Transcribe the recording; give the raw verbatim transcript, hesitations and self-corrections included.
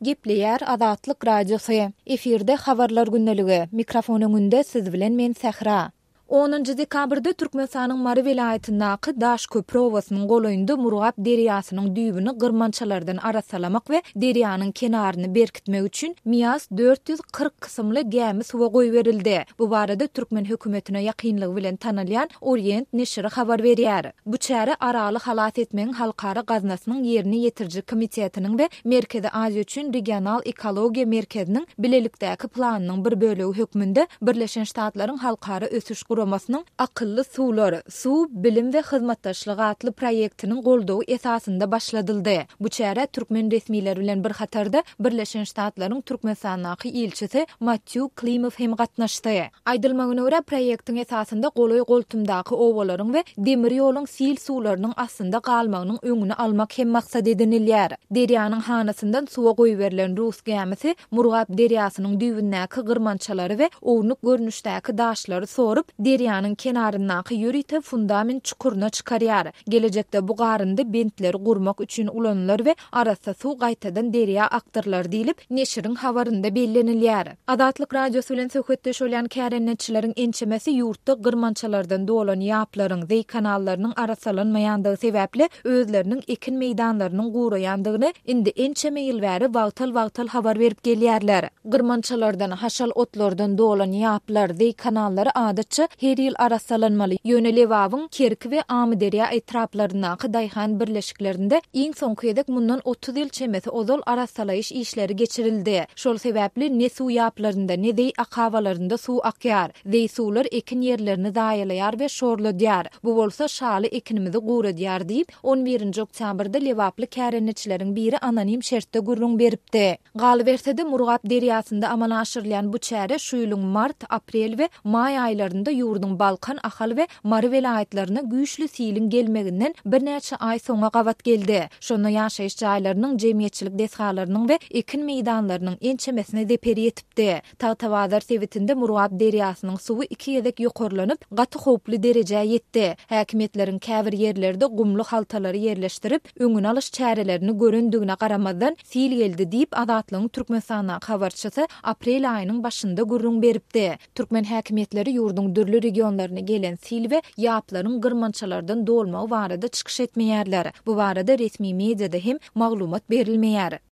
Gepleýär Azatlyk Radiosy. Efirde Habarlar gündeligi. Mikrofon öňünde siz bilen men Sähra. Onunjy dekabrda Türkmenistanyň Mary welaýatyndaky Daşköpri obasynyň golaýynda Murgap derýasynyň düýbüni gyrmançalardan arassalamak we derýanyň kenaryny berkitmek üçin Mias dört ýüz kyrk kysymly gämi suwa goýberildi. Bu barada türkmen hökümetine ýakynlygy bilen tanalýan Orient neşiri habar berýär. Bu çäre Araly halas etmegiň halkara gaznasynyň ýerine ýetiriji komitetiniň we Merkezi Aziýa üçin regional ekologiýa merkeziniň bilelikdäki planynyň bir bölegi hökmünde Birleşen Ştatlaryň Halkara ösüş guramasynyň Akylly suwlar, suw, bilim we hyzmatdaşlyk atly proýektiniň goldawy esasynda başladyldy. Bu çärä türkmen resmileri bilen bir hatarda Birleşen Ştatlaryň Türkmenistandaky ilçisi Mattýu Klimow hem gatnaşdy. Aýdylmagyna görä, proýektiň esasynda golaý-goltumdaky obalaryň we demir ýoluň sil suwlarynyň astynda galmagynyň öňüni almak hem maksat edinilýär. Derýanyň hanasyndan suwa goýberilen rus gämisi Murgap derýasynyň düýbündäki gyrmançalary we ownuk görnüşdäki daşlary sorup, derýanyň kenaryndaky ýörite fundament çukuryna çykarýar. Gelejekde bu garyndy bentleri gurmak üçin ulanylar we arassa suw gaýtadan derýa akdyrylar diýlip, neşiriň habarynda bellenilýär. Azatlyk Radiosy bilen söhbetdeş bolýan kärendeçileriň ençemesi ýurtda gyrmançalardan dolan ýaplaryň, zeý kanallarynyň arassalanmaýandygy sebäpli özleriniň ekin meýdanlarynyň guraýandygyny indi ençeme ýyl bäri wagtal-wagtal habar berip gelýärler. Gyrmançalardan, haşal otlardan dolan ýaplar, zeý kanallary adatça her ýyl arassalanmaly. Ýöne Lebabyň Kerki we Amyderýa etraplaryndaky daýhan birleşiklerinde iň soňky gezek mundan otuz ýyl çemesi ozal arassalaýyş işleri geçirildi. Şol sebäpli ne suw ýaplarynda, ne zeý akabalarynda suw akýar. Zeý suwlar ekin ýerlerini zaýalaýar we şorladýar. Bu bolsa şaly ekinimizi guradýar diýip, on birinji oktýabrda lebaply kärendeçileriň biri anonim şertde gürrüň beripdi. Galyberse-de, Murgap derýasynda amala aşyrylýan bu çäre şu ýylyň mart, aprel we maý aýlarynda ýurduň Balkan, Ahal we Mary welaýatlaryna güýçli siliň gelmeginden birnäçe aý soňa gabat geldi. Şonda ýaşaýyş jaýlarynyň, jemgyýetçilik desgalarynyň we ekin meýdanlarynyň ençemesine zeper ýetipdi. Tagtabazar sebitinde Murgap derýasynyň suwy iki gezek ýokarlanyp, gaty howply derejä ýetdi. Häkimiýetleriň käbir ýerlerde gumly haltalary ýerleşdirip, öňüni alyş çärelerini görendigine garamazdan, sil geldi diýip, Azatlygyň Türkmenistandaky habarçysy aprel aýynyň başynda gürrüň beripdi. Türkmen häkimiýetleri ýurduň dürli regionlaryna gelen sil we ýaplaryň gyrmançalardan dolmagy barada çykyş etmeýärler. Bu barada resmi mediada hem maglumat berilmeýär.